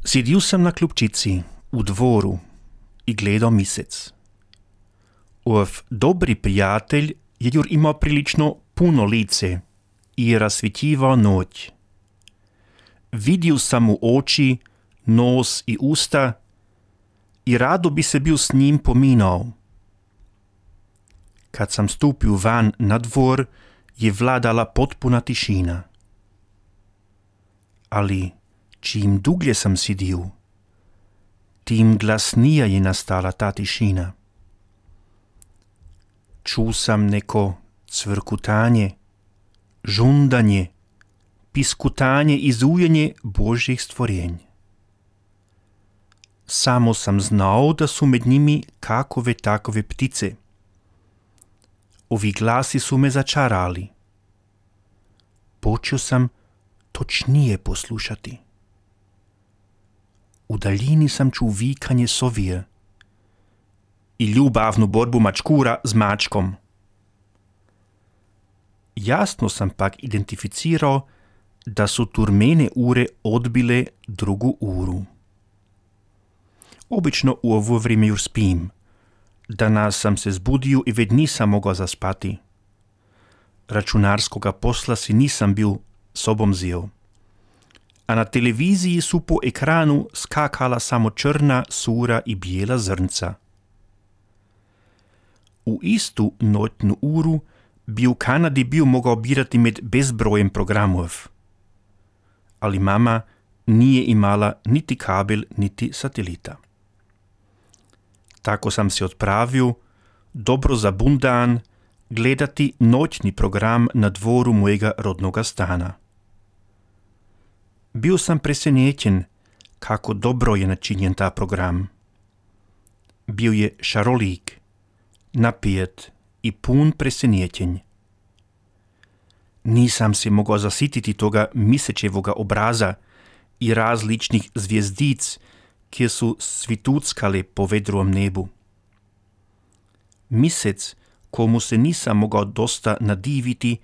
Sjedio sam na klupčici u dvoru i gledao misec. Ov dobri prijatelj je jur imao prilično puno lice i rasvjetljivao noć. Vidio sam mu oči, nos i usta i rado bi se bio s njim pominao. Kad sam stupio van na dvor, je vladala potpuna tišina. Ali čim duglje sam sjedio, tim glasnija je nastala ta tišina. Čuo sam neko cvrkutanje, žundanje, piskutanje i zujenje Božjih stvorenj. Samo sam znao da su med njimi kakove takove ptice. Ovi glasi su me začarali. Počeo sam točnije poslušati. U daljini sam čuo vikanje sovije i ljubavnu borbu mačkura s mačkom. Jasno sam pak identificirao da su turmene ure odbile drugu uru. Obično u ovo vrijeme jur spim. Danas sam se zbudio i već nisam mogao zaspati. Računarskoga posla si nisam bil sobom zio. A na televiziji su po ekranu skakala samo črna, sura i bijela zrnca. U istu noćnu uru bi u Kanadi bio mogao birati med bezbrojem programov. Ali mama nije imala niti kabel, niti satelita. Tako sam se odpravio, dobro zabundan, gledati noćni program na dvoru mojega rodnoga stana. Bio sam presenečen kako dobro je načinjen ta program. Bio je šarolik, napijet i pun presenečenj. Nisam se mogao zasititi toga misečevoga obraza i različnih zvjezdic, kje su svituckale po vedrom nebu. Misec, komu se nisam mogao dosta nadiviti,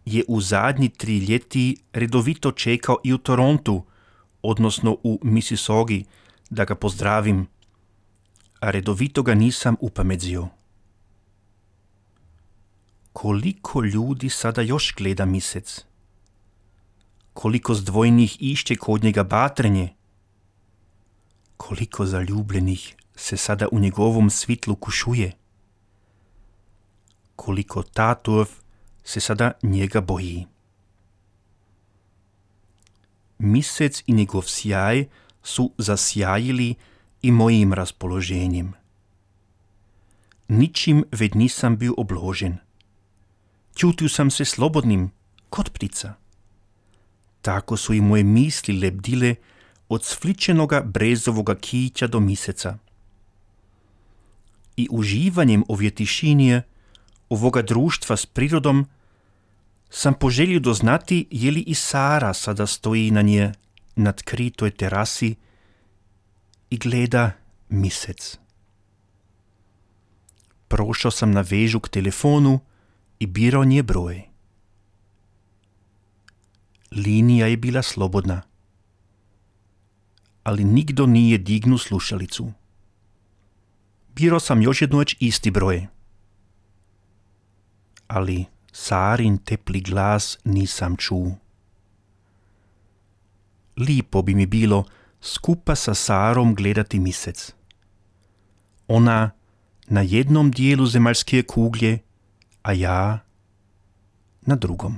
je u zadnji 3 ljeti redovito čekao i u Torontu, odnosno u Mississaugi, da ga pozdravim, a redovito ga nisam upamedzio. Koliko ljudi sada još gleda misec? Koliko zdvojnih išće kod njega batrenje? Koliko zaljubljenih se sada u njegovom svitlu kušuje? Koliko tatov se sada njega boji? Misec i njegov sjaj su zasjajili i mojim raspoloženjem. Ničim već nisam bio obložen. Čutio sam se slobodnim, kot ptica. Tako su i moje misli lebdile od sfličenoga brezovoga kića do miseca. I uživanjem ove tišinje, ovoga društva s prirodom, sam poželio doznati je li i Sara sada stoji na nje nadkritoj terasi i gleda misec. Prošao sam na vežu k telefonu i birao nje broj. Linija je bila slobodna, ali nigdo nije dignu slušalicu. Birao sam još jednoć isti broj, ali Sarin tepli glas nisam čuo. Lipo bi mi bilo skupa sa Sarom gledati misec. Ona na jednom dijelu zemaljske kuglje, a ja na drugom.